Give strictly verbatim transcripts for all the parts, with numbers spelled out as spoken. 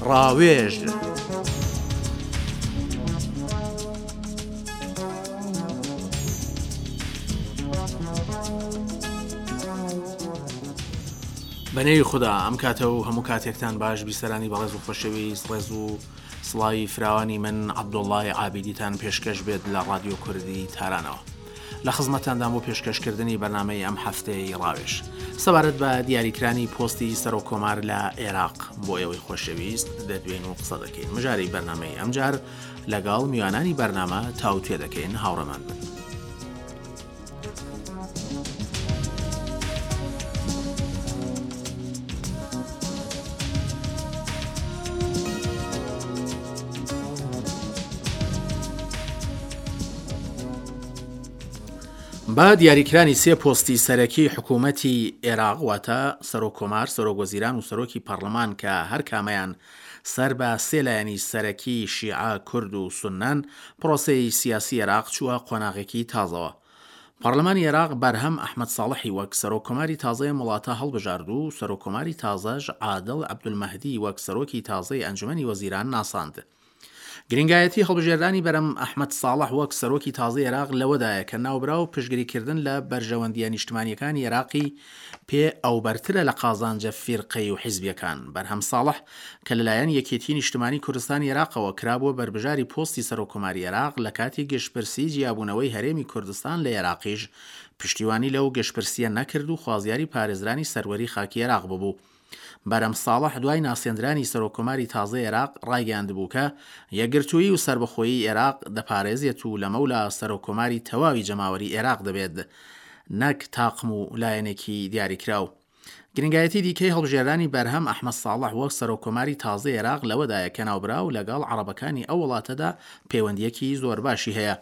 ڕاوێژ. بەنێوی خودا ئەم کاتە و هەموو کاتێکتان باش بیسەرانی بەڕێز و خۆشەویست ڕێز و سڵاوی فراوانی من عەبدوڵڵای عابیدیتان پێشکەش بێت لە ڕادیۆ کوردی تارانەوە لە خزمەتاندام بۆ پێشکەشکردنی بەرنامەی ئەم هەفتەیەی ڕاوێژ سەبارەت بە دیاریکرانی پۆستی سەرۆک کۆمار لە عێراق بۆ ئێوەی خۆشەویست دەدوێین و قسە دەکەین مژاری بەرنامەی ئەمجار لەگەڵ میوانانی بەرنامە تاوتوێ دەکەین هاوڕێمان بن. بە دیاریکرانی سێ پۆستی سەرەکی حکوومەتی عێراق واتە سەرۆک کۆمار، سەرۆک وەزیران و سەرۆکی پەڕلەمان کە هەر کامەیان سەر بە سێ لایەنی سەرەکی شیعە، کورد و سوننەن، پرۆسەی سیاسی عێراق چووە قۆناغێکی تازەوە. پەڕلەمانی عێراق بەرهەم ئەحمەد ساڵحی وەک سەرۆک کۆماری تازەی ئەم وڵاتە هەڵبژارد و سەرۆک کۆماری تازەش عادڵ عەبدولمەهدی وەک سەرۆکی تازەی ئەنجومەنی وەزیران ناساند. گرنگایەتی هەڵبژێردانی بەرەم ئەحمەد ساڵح وەک سەرۆکی تازەی عێراق لەوەدایە کە ناوبراو پشتگریکردن لە بەرژەوەندییە نیشتمانییەکانی عێراقی پێ ئەوبەرترە لە قازانجە فیرقەی و حیزبییەکان. بەرهەم ساڵح کە لەلایەن یەکێتیی نیشتمانی کوردستانی عێراقەوە کرابووە بەربژاری پۆستی سەرۆککۆماری عێراق لە کاتی گشتپرسیی جیابوونەوەی هەرێمی کوردستان لە عێراقیش پشتیوانی لەو گشتپرسییە نەکرد و خوازیاری پارێزرانی سەروەری خاکی عێراق ببوو. بەرەم ساڵح دوای ناسێندرانی سەرۆککۆماری تازەی عێراق ڕایگەیاندبوو کە یەکگرتوویی و سەربەخۆیی عێراق دەپارێزێت و لەمەولا سەرۆککۆماری تەواوی جەماوەری عێراق دەبێت نەک تاقم و لایەنێکی دیاریکراو. گرنگایەتی دیکەی هەڵبژێرانی بەرهەم ئەحمەد ساڵح وەک سەرۆککۆماری تازەی عێراق لەوەدایە کە ناوبراو لەگەڵ عەڕەبەکانی ئەو وڵاتەدا پەیوەندییەکی زۆر باشی هەیە.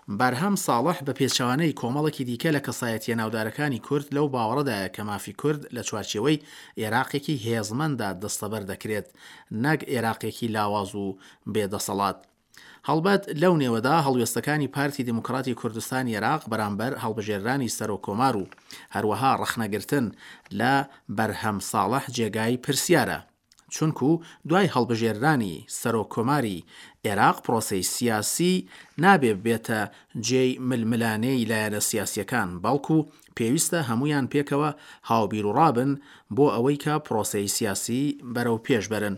بەرهەم ساڵح بە پێچەوانەی کۆمەڵێکی دیکە لە کەسایەتییە ناودارەکانی کورد لەو باوەڕەدایە کە مافی کورد لە چوارچێوەی ئێراقێکی هێزمەنددا دەستەبەر دەکرێت نەک ئێراقێکی لاواز و بێ دەسەڵات. هەڵبەت لەو نێوەدا هەڵوێستەکانی پارتی دیموکراتی کوردستانی ئێراق بەرامبەر هەڵبژێررانی سەرۆک کۆمار و هەروەها ڕەخنەگرتن لە بەرهەم ساڵح جێگای پرسیارە. چونکو دوای هەڵبژێررانی سەرۆک کۆماری ئێراق پرۆسەی سیاسی نابێ ببێتە جێی ململانێی لایەنە سیاسیەکان بەڵکو پێویستە هەموویان پێکەوە هاوبیروڕا بن بۆ ئەوەی کە پرۆسەی سیاسی بەرەو پێش بەرن.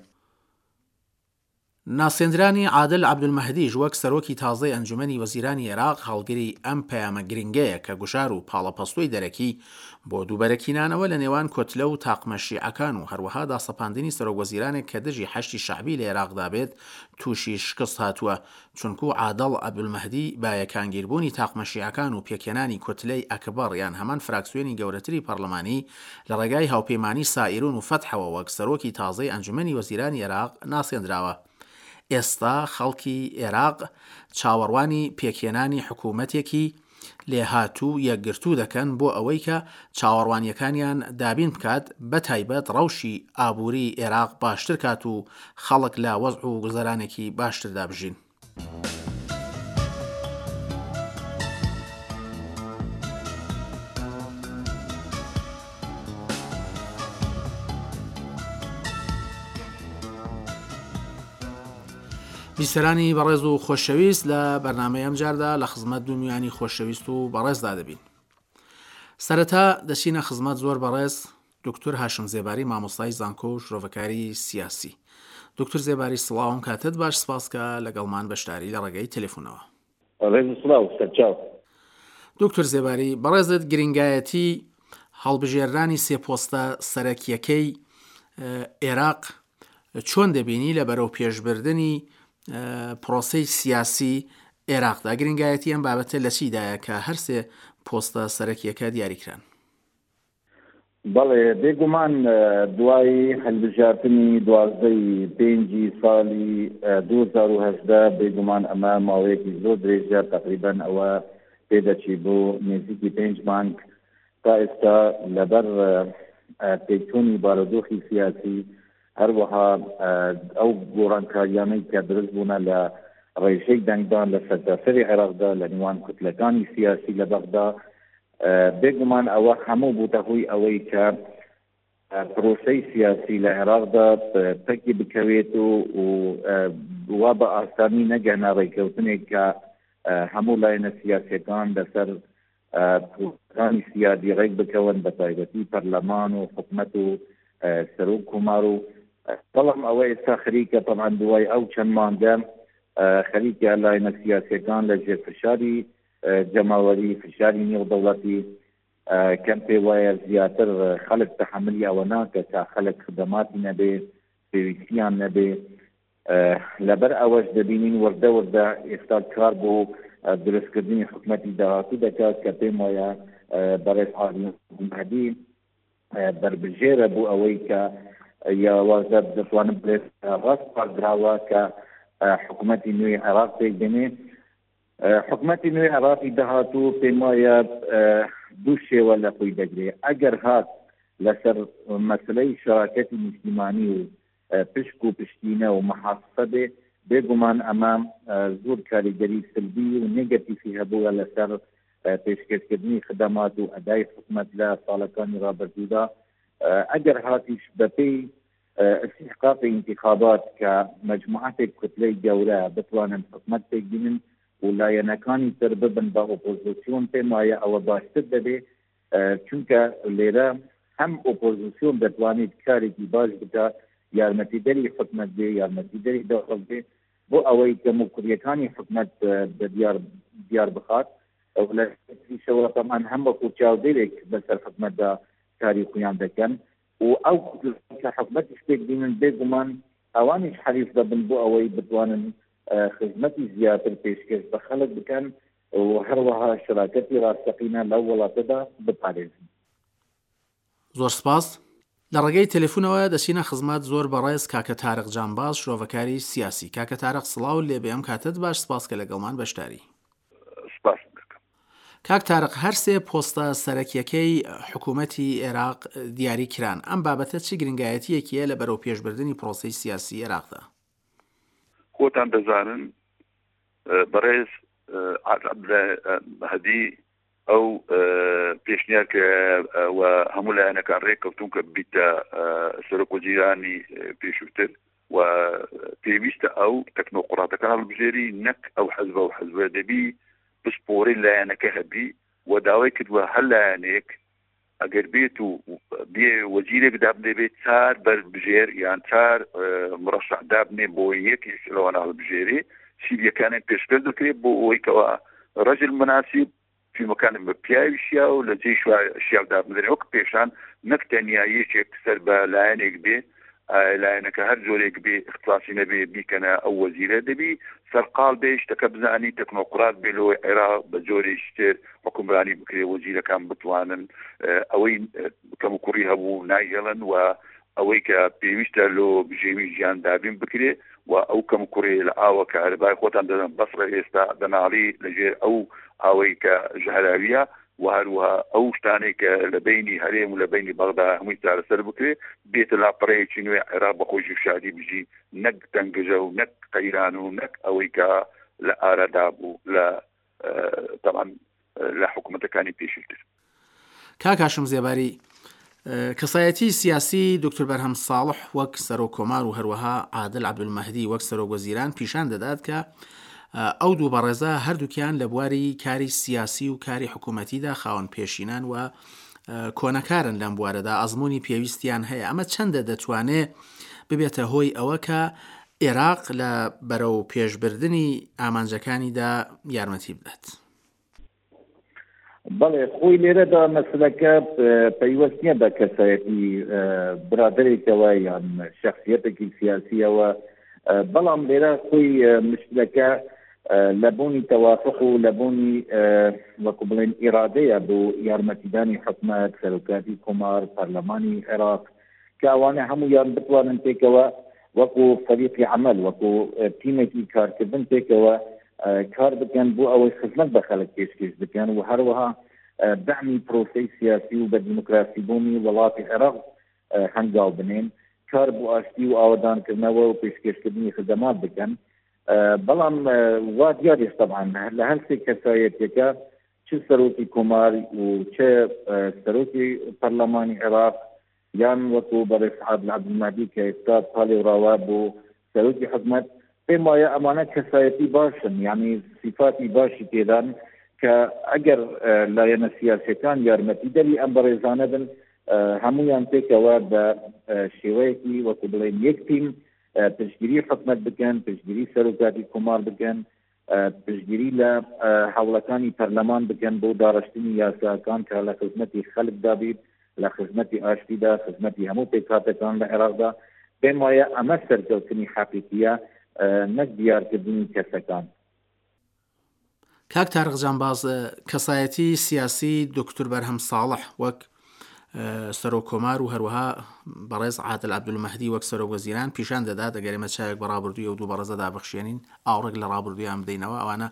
ناسێندرانی عادل عەبدولمەهدیش وەک سەرۆکی تازەی ئەنجومەنی وەزیرانی ئێراق هەڵگری ئەم پەیامە گرنگەیە کە گوشار و پاڵەپەستۆی دەرەکی بۆ دووبەرەکینانەوە لە نێوان کۆتلە و تاقمە شیعەکان و هەروەها داسەپاندنی سەرۆک وەزیرانێک کە دژی حەشدی شەعبی لە ئێراقدا بێت تووشی شکست هاتووە چونکوو عادڵ عەبدولمەهدی بە یەکانگیربوونی تاقمە شیعەکان و پێکهێنانی کوتلەی ئەکبەڕ یان هەمان فراکسیۆنی گەورەتری پەڕلەمانی لە ڕێگای هاوپەیمانی سائیرون و فەتحەوە وەک سەرۆکی تازەی ئەنجومەنی وەزیرانی ئێراق ناسێندراوە. ئێستا خەڵکی ئێراق چاوەڕوانی پێکهێنانی حکوومەتێکی لێهاتوو و یەکگرتوو دەکەن بۆ ئەوەی کە چاوەڕوانییەکانیان دابین بکات بە تایبەت ڕەوشی ئابووری ئێراق باشتر کات و خەڵک لە وەزع و گوزەرانێکی باشتردا بژین. بیسەرانی بەڕێز و خۆشەویست لە بەرنامەی ئەمجاردا لە خزمەت دوو میوانی خۆشەویست و بەڕێزدا دەبین. سەرەتا دەچینە خزمەت زۆر بەڕێز دکتۆر هاشم زێباری مامۆستای زانکۆ و شرۆڤەکاری سیاسی. دکتۆر زێباری سڵاوم کاتت باش سپاس کە لەگەڵمان بەشداری لە ڕێگەی تەلەفۆنەوە. ڕێز سڵاو سەرچاو. دکتۆر زێباری بەڕێزت گرنگایەتی هەڵبژێرانی سێ پۆستە سەرەکیەکەی عێراق چۆن دەبینی لە بەرەو پێشبردنی پرۆسەی سیاسی عێراقدا؟ گرنگایەتی ئەم بابەتە لە چیدایە کە هەر سێ پۆستە سەرەکیەکە دیاریکران؟ بەڵێ بێگومان دوای هەلبژاردنی دوازدەی پێنجی ساڵی دوو هەزار و هەژدە بێگومان ئەمە ماوەیەکی زۆر درێژە، تقریبا ئەوە پێدەچی بۆ نزیکی پێنج مانگ تا ئێستا لەبەر پێکچوونی بارودۆخی سیاسی، هەروەها ئەو گۆڕانکاریانەی کە دروست بوونە لە ڕێژەی دەنگدان لە سەرتاسەری عێراقدا لە نێوان کوتلەکانی سیاسی لە بەغدا، بێگومان ئەوە هەموو بووتە هۆی ئەوەی کە پرۆسەی سیاسی لە عێراقدا پەکی بکەوێت و وا بە ئاسانی نەگەنە ڕێککەوتنێک کە هەموو لایەنە سیاسیەکان لەسەر پرۆسەکانی سیادی ڕێک بکەون، بە تایبەتی پەرلەمان و حکومەت و سەرۆک کۆمار و بەڵام ئەوە ئێستا خەریکە تەبعەن دوای ئەو چەند مانگە خەریکە لایەنە سیاسیەکان لە ژێر فشاری جەماوەری، فشاری نێودەوڵەتی کەم پێ وایە زیاتر خەڵک تەحەملی ئەوە ناکە کە خەڵک خدەماتی نەبێ، پێویستیان نەبێ. لەبەر ئەوەش دەبینین وردە وردە ئێستا کار بۆ دروستکردنی حکومەتی داهاتوو دەکات کە پێم وایە بەڕێز عادل مەهدی بەربژێرە بۆ ئەوەی کە یاوازە دەتوانم بڵێت ڕاست پاردراوە کە حکومەتی نوێی عێراق پێک بێنێ. حکومەتی نوێی عێراقی داهاتوو پێم وایە دوو شێوە لە خۆی دەگرێ. ئەگەر هات لەسەر مەسلەی شەراکەتی نیشتیمانی و پشک و پشتینە و محاسسە بێ، بێگومان ئەمە زۆر کاریگەری سلبی و نێگەتیفی هەبووە لەسەر پێشکەشکردنی خدەمات و ئەدای حکومەت لە ساڵەکانی ڕابردوودا. ئەگەر هاتیش بەپێی استحقاقی انتخابات کە مجموعەتێک کوتلەی گەورە بتوانن حکومەت پێک بینن و لایەنەکانی تر ببن بە ئۆپۆزیسیۆن، پێم وایە ئەوە باشتر دەبێ، چونکە لێرە هەم ئۆپۆزیسیۆن دەتوانێت کارێکی باش بکات، یارمەتیدەری حکومەت بێ، یارمەتیدەری دەوڵەت بێ بۆ ئەوەی کەموکوڕیەکانی حکومەت بە دیار دیار بخات. لە تریشەوە تەمان هەم وەکو چاودێرێک بەسەر حکومەتدا کاری خۆیان دەکەن و ئەو کە حکومەتیش پێک بینن بێگومان ئەوانیش حەریص دەبن بۆ ئەوەی بتوانن خزمەتی زیاتر پێشکەش بە خەڵک بکەن و هەروەها شراکەتی ڕاستەقینە لەو وڵاتەدا بپارێزن. زۆر سپاس. لە ڕێگەی تەلەفۆنەوە دەچینە خزمەت زۆر بەڕێز کاکە تارق جانباز، شرۆڤەکاری سیاسی. کاکە تارق سڵاو لێبێ، ئەم کاتت باش، سپاس کە لەگەڵمان بەشداری. سپاس دەکەم. کاک تارق، هەر سێ پۆستە سەرەکیەکەی حکوومەتی عێراق دیاری کران، ئەم بابەتە چی گرنگایەتیەکیە لە بەرەو پێشبردنی پرۆسەی سیاسی عێراقدا؟ خۆتان دەزانن بەڕێز عادل مەهدی ئەو پێشنیار کە و هەموو لایەنەکان ڕێککەوتون کە بیتە سەرۆک وەزیرانی پێشووتر و پێویستە ئەو تەکنۆقڕاتەکان هەڵبژێری، نەک ئەو حەزبە و حەزبە دەبی پسپۆڕی لایەنەکە هەبی و داوای کردووە هەر لایەنێک ئەگەر بێت و بێ وەزیرێک دابنێ بێت چار بەربژێر یان چار مڕەشح دابنێ بۆ یەکێک لەوانە هەڵبژێرێ، سیریەکانیان پێشکەش دەکرێت بۆ ئەوەی کەوا ڕەجل مناسب فیلمەکانم بە پیاوی شیا و لە جێی شیاو دابنرێن وەک پێشان، نەک تەنیا یەکێک سەر بە لایەنێک بێ، لایەنەکە هەر جۆرێک بێ اختصاصی نەبێ بیکەنە ئەو وەزیرە، دەبی سەرقاڵ بێ شتەکە بزانی تەکنۆقرات بێ لەوەی عێراق بە جۆرێکی تر حکومرانی بکرێ، وەزیرەکان بتوانن ئەوەی کەموکوڕی هەبوو نایهێڵن و ئەوەی کە پێویستە لۆ بژێوی ژیان دابین بکرێ و ئەو کەموکوڕی لە ئاوە کە هەربای خۆتان دەدەن بەسڕە ئێستا دەناڵی لەژێر ئەو ئاوەی کە ژەهراویە و هەروەها ئەو شتانەی کە لە بینی هەرێم و لە بینی بەغدا هەمووی چارەسەر بکرێ، بێتە لاپەڕەیەکی نوێ عێراق بە خۆشی و شادی بژی، نەک تەنگژە و نەک قەیران و نەک ئەوەی کە لە ئارادا بوو لە تەبعەن لە حکوومەتەکانی پێشووتر. کاک هاشم زێباری، کەسایەتی سیاسی دکتۆر بەرهەم ساڵح وەک سەرۆک کۆمار و هەروەها عادل عەبدولمەهدی وەک سەرۆک وەزیران پیشان دەدات کە ئەو دوو بەڕێزە هەردووکیان لە بواری کاری سیاسی و کاری حکوومەتیدا خاوەن پێشینان و کۆنەکارن لەم بوارەدا، ئەزمموی پێویستیان هەیە. ئەمە چەندە دەتوانێت ببێتە هۆی ئەوە کە عێراق لە بەرەو پێشبردنی ئامانجەکانیدا یارمەتی بدات؟ بەڵێ، خۆی لێرەدا مەسلەکە پەیوەست نییە بە کەسایەتی برادێکەوە یان شخصیەتێکی سیاسیەوە، بەڵام لێرە خۆی مشکلەکە لە بوونی تەوافق و لە بوونی وەکو بڵێن ئیرادەیە بۆ یارمەتیدانی حکومەت، سەرۆکاتی کۆمار، پەرلەمانی عێراق، کە ئەوانە هەمویان بتوانن پێکەوە وەکو فەریقی عەمەل، وەکو تیمێکی کارکردن پێکەوە کار بکەن بۆ ئەوەی خزمەت بە خەڵک پێشکەش بکەن و هەروەها دەعمی پرۆسەی سیاسی و بە دیموکراسی بوونی وڵاتی عێراق هەنگاو بنێن، کار بۆ ئاشتی و ئاوەدانکردنەوە و پێشکەشکردنی خدەمات بکەن. بەڵام وا دیاریش طبعا لە هەر سێ کەسایەتیەکە چ سەرۆکی کۆمار و چ سەرۆکی پەرلەمانی عێراق یان وەکو بەڕێز عادل عەبدولمەهدی کە ئێستا پاڵێوراوە بۆ سەرۆکی حکومەت، پێم وایە ئەمانە کەسایەتی باشن، یعنی سیفاتی باشی تێدان کە ئەگەر لایەنە سیاسیەکان یارمەتیدەری ئەم بەڕێزانە بن، هەمویان پێکەوە بە شێوەیەکی وەکو بڵێن یەک تیم پشتگیری حکومەت بکەن، پشتگیری سەرۆکاتی کۆمار بکەن، پشتگیری لە هەوڵەکانی پەرلەمان بکەن بۆ داڕشتنی یاساکان کە لە خزمەتی خەڵکدا بیت، لە خزمەتی ئاشتیدا، خزمەتی هەموو پێکهاتەکان لە عێراقدا. پێم وایە ئەمە سەرکەوتنی حەقیقیە نەک دیارکردنی کەسەکان. کاک تارق جانباز، کەسایەتی سیاسی دکتۆر بەرهەم ساڵح وەک سەرۆک کۆمار و هەروەها بەڕێز عادل عەبدولمەهدی وەک سەرۆک وەزیران پیشان دەدات ئەگەر ئێمە چاوێک بە ڕابردووی ئەو دوو بەڕێزەدا بخشێنین، ئاوڕێک لە ڕابردوویان بدەینەوە، ئەوانە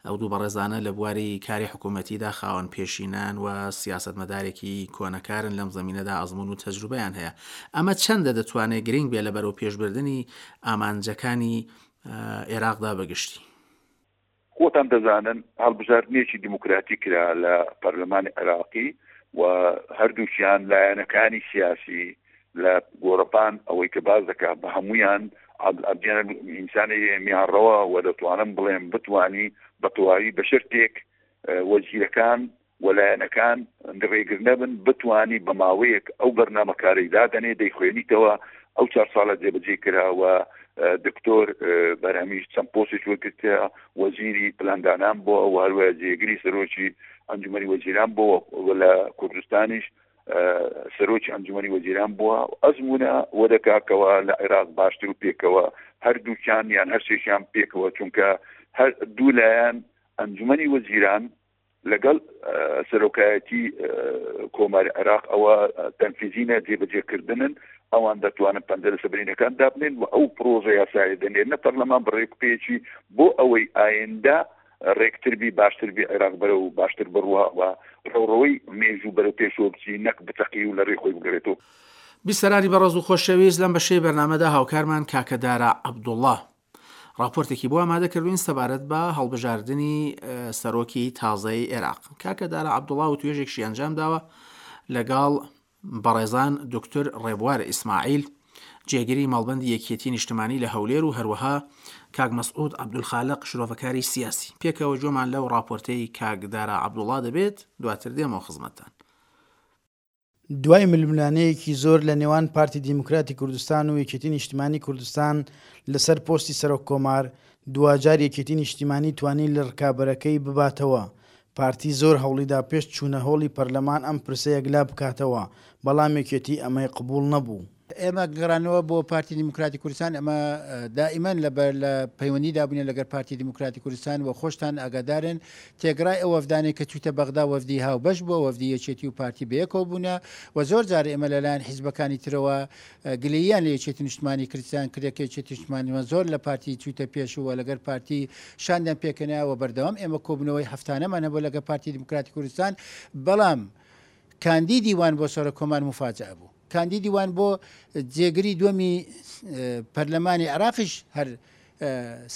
ئەو دوو بەڕێزانە لە بواری کاری حکوومەتیدا خاوەن پێشینان و سیاسەتمەدارێکی کۆنەکارن، لەم زەمینەدا ئەزمون و تەجروبەیان هەیە. ئەمە چەندە دەتوانێت گرنگ بێ لە بەرەو پێشبردنی ئامانجەکانی عێراقدا بەگشتی؟ خۆتان دەزانن هەڵبژاردنێکی دیموکراتی کرا لە پەرلەمانی عێراقی و هەردووکیان لایەنەکانی سیاسی لە گۆڕەپان ئەوەی کە باز دەکات بە هەمویان عەبدیان ئینسانی میانڕەوە و دەتوانم بڵێم بتوانی بە تەواوی بە شەرتێک وەزیرەکان و لایەنەکان ڕێگر نەبن، بتوانی بە ماوەیەک ئەو بەرنامەکارەی دادەنێ دەیخوێنیتەوە. ئەو چوار ساڵە جێبەجێ کرا و دکتۆر بەرهەمیش چەند پۆستێک وەرگرتە، وەزیری پلاندانان بووە و هەروەها جێگری سەرۆکی ئەنجومەنی وەزیران بووە و لە کوردستانیش سەرۆکی ئەنجومەنی وەزیران بووە. ئەزمونە وەدەکاکەوە لە عێراق باشتر و پێکەوە هەردووکیان یان هەرسێکیان پێکەوە، چونکە هەر دوو لایەن ئەنجومەنی وەزیران لەگەڵ سەرۆکایەتی کۆماری عێراق ئەوە تەنفیزینە جێبەجێکردنن، ئەوان دەتوانن پەنجەرە سەبرینەکان دابنێن و ئەو پرۆژە یاسایە دەنێرنە پەرلەمان بڕێکپێکی بۆ ئەوەی ئایندە ڕێکتر بی، باشتر بی، عێراق بەرەو باشتر بڕوا و ڕەوڕەوەی مێژوو بەرەو پێشەوە بچی، نەک بتەقی و لە ڕێی خۆی بگەڕێتەوە. بیسەرانی بەڕێز و خۆشەویست، لەم بەشەی بەرنامەدا هاوکارمان کاکە دارا عەبدوڵڵا راپۆرتێکی بۆ ئامادە کردوین سەبارەت بە هەڵبژاردنی سەرۆکی تازەی عێراق. کاکە دارا عەبدوڵڵا و توێژێکشی ئەنجام داوە لەگەڵ بەڕێزان دکتۆر ڕێبوار ئیسماعیل، جێگری مەڵبەندی یەکێتی نیشتمانی لە هەولێر و هەروەها کاک مەسعود عەبدولخالق شرۆڤەکاری سیاسی. پێکەوە گوێمان لەو راپۆرتەی کاک دارا عەبدوڵڵا دەبێت، دواتر دێمەوە خزمەتتان. دوای ململانەیەکی زۆر لە نێوان پارتی دیموکراتی کوردستان و یەکێتی نیشتیمانی کوردستان لەسەر پۆستی سەرۆک کۆمار، دواجار یەکێتی نیشتیمانی توانی لە ڕکابەرەکەی بباتەوە. پارتی زۆر هەوڵیدا پێش چوونە هۆڵی پەرلەمان ئەم پرسە یەکلا بکاتەوە، بەڵام یەکێتی ئەمەی قبوڵ نەبوو. ئێمە گەڕانەوە بۆ پارتی دیموکراتی کوردستان، ئەمە دائیمەن لە پەیوەندیدا بووینە لەگەر پارتی دیموکراتی کوردستان و خۆشتان ئاگادارن تێگرای ئەو وەفدانەی کە چوویتە بەغدا وەفدی هاوبەش بووە، وەفدی یەکێتی و پارتی بەیەکەوە بوونە و زۆر جار ئێمە لەلایەن حیزبەکانی ترەوە گلەییان لە یەکێتی نیشتمانی کوردستان کردە کە یەکێتی نیشتمانیمان زۆر لە پارتی چوویتە پێش و لەگەر پارتی شاندیان پێکەنایەوە و بەردەوام ئێمە کۆبوونەوەی هەفتانەمان هەبوو لەگەر پارتی دیموکراتی کوردستان، بەڵام کاندیدی وان بۆ سەرۆک کۆمار مفاجئە بوو. کاندیدی وان بۆ جێگری دووەمی پەرلەمانی عێراقیش هەر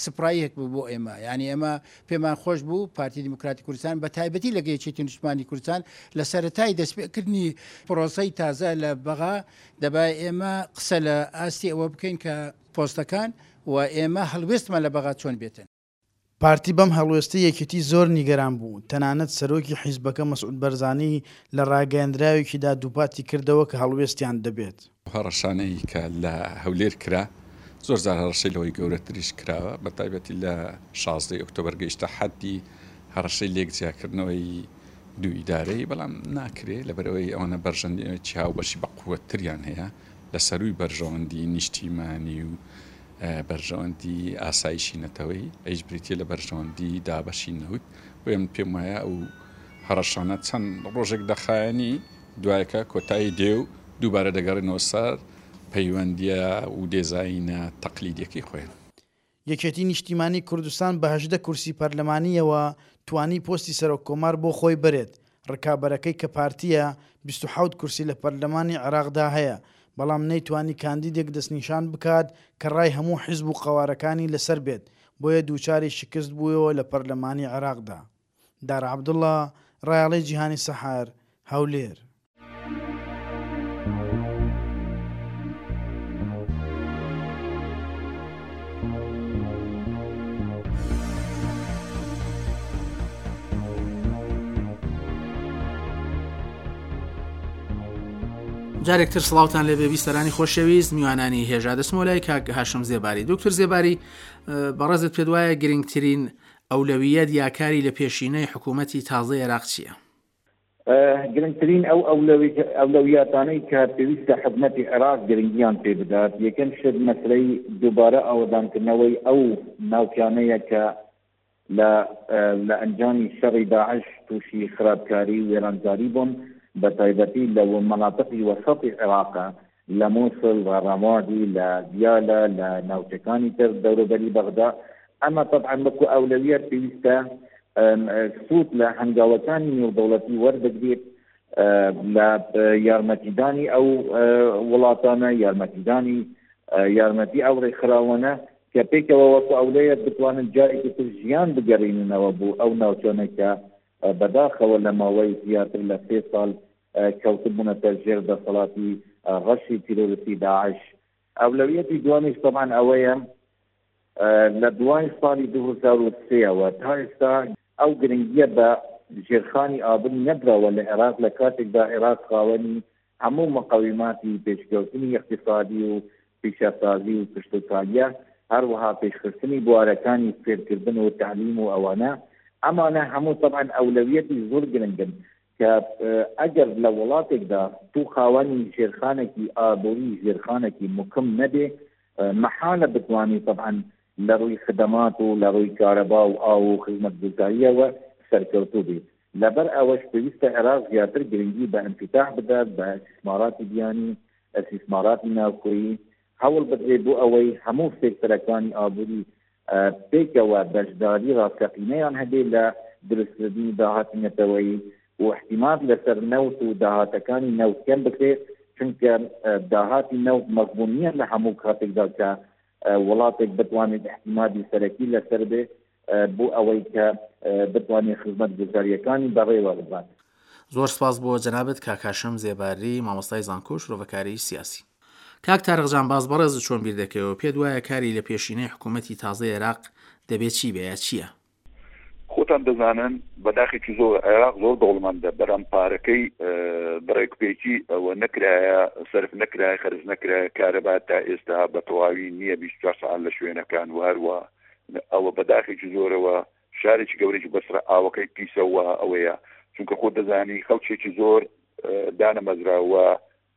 سپراییەک بوو بۆ ئێمە. یعنی ئێمە پێمان خۆش بوو پارتی دیموکراتی کوردستان بە تایبەتی لەگە یەکێتی نیشتمانی کوردستان لە سەرەتای دەستپێکردنی پرۆسەی تازە لە بەغا دەبای ئێمە قسە لە ئاستی ئەوە بکەین کە پۆستەکان و ئێمە هەڵوێستمان لە بەغا چۆن بێتن. پارتی بەم هەڵوێستەی یەکێتی زۆر نیگەران بوو، تەنانەت سەرۆکی حیزبەکە مەسعود بەرزانی لە ڕاگەیەندراوێکیدا دووپاتی کردەوە کە هەڵوێستیان دەبێت. هەڕەشانەی کە لە هەولێر کرا زۆر جار هەڕەشەی لەوەی گەورەتریش کراوە، بە تایبەتی لە شازدەی ئۆکتۆبەر گەیشتە حەدی هەڕەشەی لێک جیاکردنەوەی دوو ئیدارەی، بەڵام ناکرێ لەبەرەوەی ئەوانە بەرژەوەندیی هاوبەشی بە قووەتتریان هەیە لە سەروی بەرژەوەندی نیشتیمانی و بەرژەوەندی ئاسایشی نەتەوەی، ئەیش بریتیە لە بەرژەوەندی دابەشی نەوت. بۆیە من پێم وایە ئەو هەڕەشانە چەند ڕۆژێک دەخایەنی دوایەکە کۆتایی دێ و دووبارە دەگەڕێنەوە سەر پەیوەندیە و دێزایینە تەقلیدیەکەی خۆیان. یەکێتی نیشتیمانی کوردستان بە هەژدە کورسی پەرلەمانیەوە توانی پۆستی سەرۆک کۆمار بۆ خۆی بەرێت. ڕکابەرەکەی کە پارتیە بیست و حەوت کورسی لە پەرلەمانی عێراقدا هەیە، بەڵام نەیتوانی کاندیدێک دەستنیشان بکات کە ڕای هەموو حیزب و قەوارەکانی لەسەر بێت، بۆیە دووچاری شکست بوویەوە لە پەرلەمانی عێراقدا. دارا عەبدوڵڵا، ڕایەڵەی جیهانی سەحەر، هەولێر. جارێکتر سڵاوتان لێبێ بیسەرانی خۆشەویست، میوانانی هێژا. دەچمەوە لای کاک هاشم زێباری. دکتۆر زێباری، بەڕێزت پێت وایە گرنگترین ئەولەویەت یا کاری لە پێشینەی حکوومەتی تازەی عێراق چییە؟ گرنگترین ئەو ئەولەویاتانەی کە پێویستە حکومەتی عێراق گرنگیان پێ بدات، یەکەم شت مەسلەی دووبارە ئاوەدانکردنەوەی ئەو ناوچانەیە کە لە ئەنجامی شەڕی داعش تووشی خراپکاری و وێرانکاری بوون، بە تایبەتی لە مەناتقی وەسەتی عێراقە، لە مووسڵ، لە ڕەمادی، لە دیالە، لە ناوچەکانی تر دەوروبەری بەغدا. ئەمە تەبعەن وەکو ئەولەویەت پێویستە سوود لە هەنگاوەکانی نێودەوڵەتی وەربگرێت لە یارمەتیدانی ئەو وڵاتانە، یارمەتیدانی یارمەتی ئەو ڕێکخراوانە کە پێکەوە وەکو ئەولەویەت بتوانن جارێکی تر ژیان بگەڕێننەوە بۆ ئەو ناوچانە کە بەداخەوە لە ماوەی زیاتر لە سێ ساڵ کەوتبوونەتە ژێر دەسەڵاتی ڕەشی تیرۆریستی داعش. ئەولەویەتی دوانیش طبعا ئەوەیە لە دوای ساڵی دوو هەزار و سێەوە تا ئێستا ئەو گرنگیە بە ژێرخانی ئابووری نەدراوە لە عێراق، لە کاتێکدا عێراق خاوەنی هەموو مقاوماتی پێشکەوتنی اقتصادی و پیشەسازی و کشتوکاڵیە، هەروەها پێشخستنی بوارەکانی فێرکردن و تەعلیم و ئەوانە. ئەمانە هەموو طبعا ئەولەویەتی زۆر گرنگن کە ئەگەر لە وڵاتێکدا تو خاوەنی ژێرخانێکی ئابووری، ژێرخانێکی مکم نەبێ، مەحالە بتوانی طبعا لە ڕووی خدەمات و لە ڕووی کارەبا و ئاو و خزمەتگوزاریەوە سەرکەوتوو بێت. لەبەر ئەوەش پێویستە عێراق زیاتر گرنگی بە ئینفتاح بدات، بە ئیستیسماراتی بیانی، ئیستیسماراتی ناوخۆیی، هەوڵ بدرێت بۆ ئەوەی هەموو سێکتەرەکانی ئابووری پێکەوە بەشداری ڕاستەقینەیان هەبێت لە دروستکردنی داهاتی نەتەوەیی و احتیماد لەسەر نەوت و داهاتەکانی نەوت کەم بکرێت، چونکە داهاتی نەوت مەزبوون نییە لە هەموو کاتێکدا کە وڵاتێک بتوانێت احتیمادی سەرەکی لەسەر بێ بۆ ئەوەی کە بتوانێت خزمەتگوزاریەکانی بەڕێوە ببات. زۆر سپاس بۆ جەنابت کاک هاشم زێباری، مامۆستای زانکۆ و شرۆڤەکاری سیاسی. کاک تارق جانباز، بەڕێز چۆن بیر دەکەیەوە؟ پێت وایە کاری لە پێشینەی حکوومەتی تازەی عێراق دەبێت چی بێ یا چییە؟ خۆتان دەزانن بەداخێکی زۆر عێراق زۆر دەوڵەمەندە، بەڵام پارەکەی بەڕێکوپێکی ئەوە نەکرایە، سەرف نەکرایە، خەرج نەکرایە. کارەبا تا ئێستا بە تەواوی نییە بیست و چوار سەعات لە شوێنەکان و هەروە ئەوە بەداخێکی زۆرەوە شارێکی گەورەی بەسرە ئاوەکەی پیسەوە ئەوەیە، چونکە خۆ دەزانی خەڵکێکی زۆر دانەمەزراوە،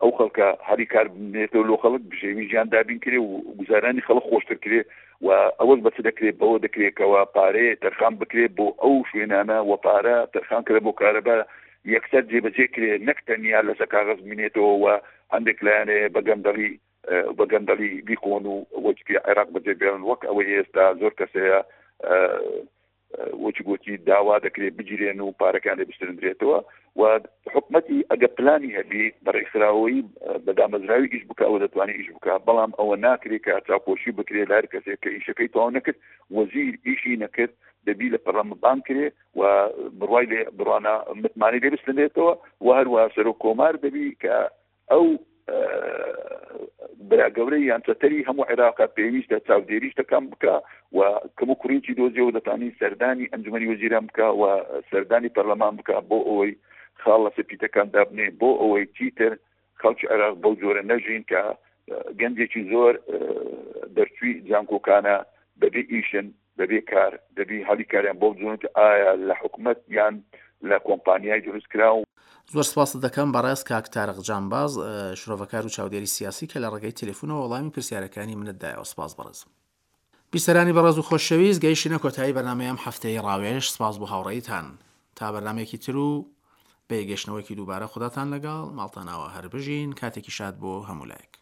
ئەو خەڵکە هەری کار بنێتەوە لۆ خەڵک بژێوی ژیان دابین کرێ و گوزارانی خەڵک خۆشتر کرێ و ئەوەش بەچ دەکرێت؟ بەوە دەکرێتەوە پارەیە تەرخان بکرێت بۆ ئەو شوێنانە و پارە تەرخان کرێ بۆ کارەبا یەکسەر جێبەجێ کرێ، نەک تەنیا لەسەر کاغەز بمێنێتەوە و هەندێک لایەنەیە بە گەندەڵی بە گەندەڵی بیخۆن و وەکی عێراق بەجێ بێڵن، وەک ئەوەی ئێستا زۆر کەسەیە وەکی گوتی داوا دەکرێت بگیرێن و پارەکان لێ بسترندرێتەوە. و حکومەتی ئەگە پلانی هەبی بە ڕێکخراوەیی بە دامەزراوی ئیش بکە، ئەوە دەتوانێت ئیش بکە، بەڵام ئەوە ناکرێت کە چاوپۆشی بکرێت لە هەر کەسێک کە ئیشەکەی تەواو نەکرد، وەزیر ئیشی نەکرد، دەبی لە پەرلەمان بانگ کرێ و بڕوای لێ بڕوانا متمانەی لێ بستنێتەوە. و هەروەها سەرۆک کۆمار دەبی کە ئەو برا گەورەی یان چەتەری هەموو عێراقە پێویستە چاودێری شتەکان بکە و کەم و کوڕیکی دۆزیەوە دەتوانین سەردانی ئەنجومەنی وەزیران بکە و سەردانی پەرلەمان بکە بۆ ئەوەی خاڵ لەسەر پیتەکان دابنێ، بۆ ئەوەی چیتر خەڵکی عێراق بەو جۆرە نەژین کە گەنجێکی زۆر دەرچووی زانکۆکانە بەبێ ئیشن، بەبێ کار، دەبی هەلی کاریان بۆ بزۆنێت ئایا لە حکومەت یان لە کۆمپانیای دروست کراو. زۆر سپاست دەکەم بەڕێز کاک تارق جانباز، شرۆڤەکار و چاودێری سیاسی کە لە ڕێگەی تەلەفۆنەوە وەڵامی پرسیارەکانی منت دایەوە. سپاس بەڕێز. بیسەرانی بەڕێز و خۆشەویست، گەیشتینە کۆتایی بەرنامەی ئەم هەفتەیەی ڕاوێژ. سپاس بۆ هاوڕێیتان. تا بەرنامەیەکی تر و بە یەکگەشتنەوەیەکی دووبارە خوداتان لەگەڵ، ماڵتان ئاوا هەر بژین. کاتێکی شاد بۆ هەموو لایەک.